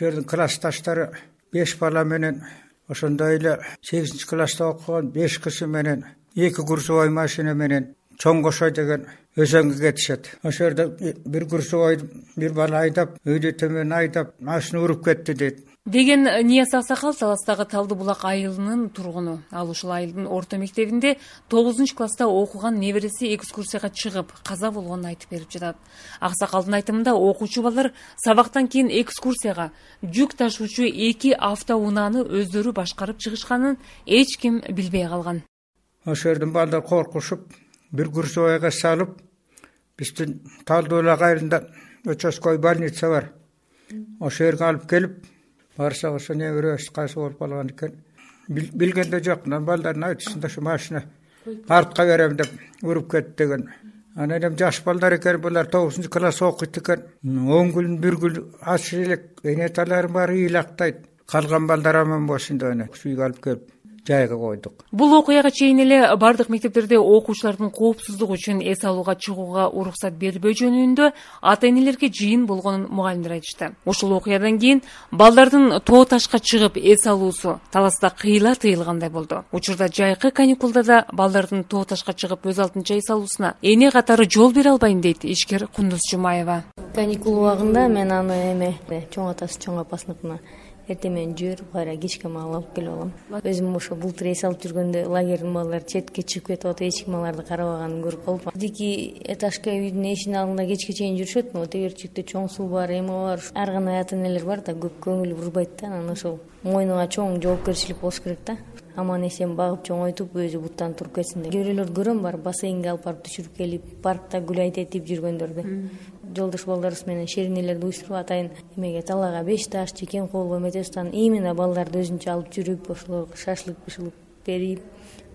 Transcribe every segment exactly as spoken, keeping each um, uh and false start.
Ошол жердин классташтары беш бала менен, ошондой эле сегизинчи класста окуган беш киши менен эки курсовой машина менен Чоң Кошой деген өзөнгө кетишет. Ошол жерде бир курсовой бир бала айдап, өйдө төмөн айдап, машина уруп кетти дейт. Деген Нияз Аксакал Таластагы Талды булак айылынын тургуну. Ал ушул айылдын орто мектебинде тогузунчу класста окуган небереси экскурсияга чыгып, каза болгонун айтып берип жатат. Аксакалдын айтымында окуучу балдар сабактан кийин экскурсияга жүк ташуучу эки автоунааны өздөрү башкарып чыгышканын эч ким билбей калган. Ошол жерден балдар коркушуп, бир курсовойго салып, биздин Талды булак айылында участкой больница бар. Ошол жерге алып келип, барсак ошо неберебиз кайсы болуп калган экен. Билгенде жок, балдардын айтышында ошо машина артка берем деп уруп кетти деген. Анан эми жаш балдар экен, булар тогузунчу класс окуйт экен. он күн, бир күн аш элек, энеталарым баары ыйлактайт. Калган балдар аман болсун деп үйгө алып келип жайга койдук. Бул окуяга чейин эле бардык мектептерде окуучулардын коопсуздугу үчүн эс алууга чыгууга уруксат бербөө жөнүндө ата-энелерге жыйын болгонун мугалимдер айтышты. Ушул окуядан кийин балдардын тоо ташка чыгып эс алуусу Таласта кыйла тыйылгандай болду. Учурда жайкы каникулда да балдардын тоо ташка чыгып өз алдынча эс алуусуна эне катары жол бере албайм дейт ишкер Кундуз Жумаева. Каникул убагында мен аны эме чоң атасы чоң апасыныкына эртең менен жиберип, кайра кечке маал алып келип алам. Өзүм ошо бултур эс алып жүргөндө лагердин балдары четке чыгып кетип атып, эч ким аларды карабаганын көрүп калып. Бирдики этажка үйдүн эшигинин алдында кечке чейин жүрүшөт. Могу тегерчикте чоң суу бар, эме бар. Ар кандай ата-энелер бар да, көп көңүл бурбайт да. Анан ошол мойнуна чоң жоопкерчилик болуш керек да. Аман эсен багып чоңойтуп, өзү буттан туруп кетсин деп. Көрөлөрдү көрөм, бар бассейнге алып барып түшүрүп келип, паркта гулять этип жүргөндөрдү. Жолдош балдарыбыз менен шеринелерди уюштуруп атайын эмеге талаага беш таш, чекен колго эметебиз. Именно балдарды өзүнчө алып жүрүп, ошолорго шашлык бышылык берип,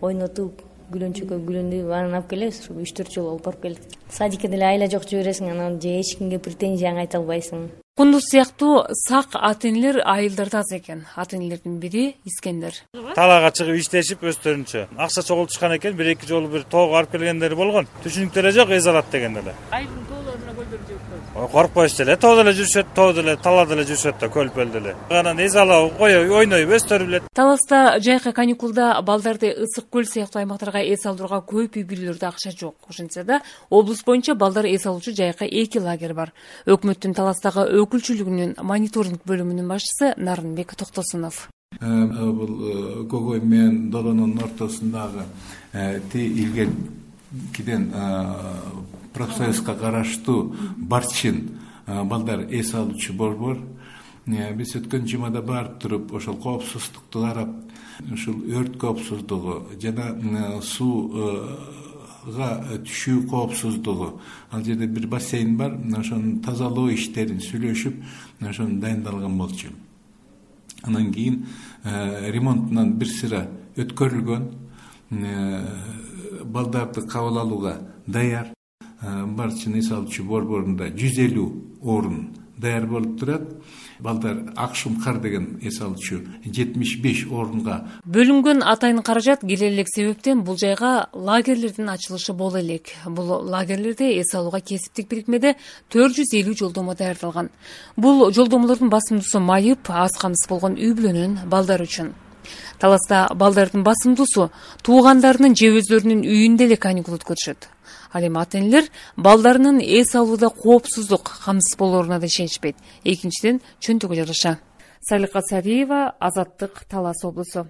ойнотуп, гүлөнчөккө гүлөндөп, анан алып келебиз. үч төрт жолу алып барып келдик. Садикке деле айла жок жибересиң, анан же эч кимге претензияң айта албайсың. Кундуз сыяктуу сак ата-энелер айылдарда аз экен. Ата-энелердин бири Искендер. Талаага чыгып иштешип өздөрүнчө акча чогултушкан экен, бир эки жолу бир тоого алып келгендери болгон. Түшүнүктүү эле жок, эс алат деген эле. Айылдын тоолоруна көлдөр жүрүп коркпойсуз эле, тоодо эле жүрүшөт, тоодо эле, талаада эле жүрүшөт да, көлпөлдө эле. Анан эс алып коюп, ойноюп өздөрү билет. Таласта жайкы каникулда балдарды Ысык көл сыяктуу аймактарга эс алдырууга көп үй бүлөлөрдө акча жок. Ошентсе да, облус боюнча балдар эс алуучу жайкы эки лагерь бар. Өкмөттүн Таластагы өкүлчүлүгүнүн мониторинг бөлүмүнүн башчысы Нарынбек Токтосунов. Бул Когой менен Долонун ортосундагы ти илгеркиден профсоюзга караштуу Барчин балдар эс алуучу борбор. Биз өткөн жумада барып туруп, ошол коопсуздукту карап, ушул өрт коопсуздугу жана сууга түшүү коопсуздугу, ал жерде бир бассейн бар, ошонун тазалоо иштерин сүйлөшүп, ошону дайындалган болчу. Анан кийин ремонтунан бир сыра өткөрүлгөн, балдарды кабыл алууга даяр. Барчин эс алуучу борборунда жүз элүү орун даяр болуп турат. Балдар Акшумкар деген эс алуучу жетимиш беш орунга бөлүнгөн атайын каражат келе элек себептен бул жайга лагерлердин ачылышы боло элек. Бул лагерлерде эс алууга кесиптик бирикмеде төрт жүз элүү жолдомо даярдалган. Бул жолдомолордун басымдуусу майып, аз камсыз болгон үй бүлөнүн балдары үчүн. Таласта балдардын басымдуусу туугандарынын же өздөрүнүн үйүндө эле каникул өткөрүшөт. Ал эми ата-энелер балдарынын эс алууда коопсуздук, камсыз болооруна да ишенишпейт. Экинчиден чөнтөгө жараша. Салика Сариева, Азаттык, Талас облусу.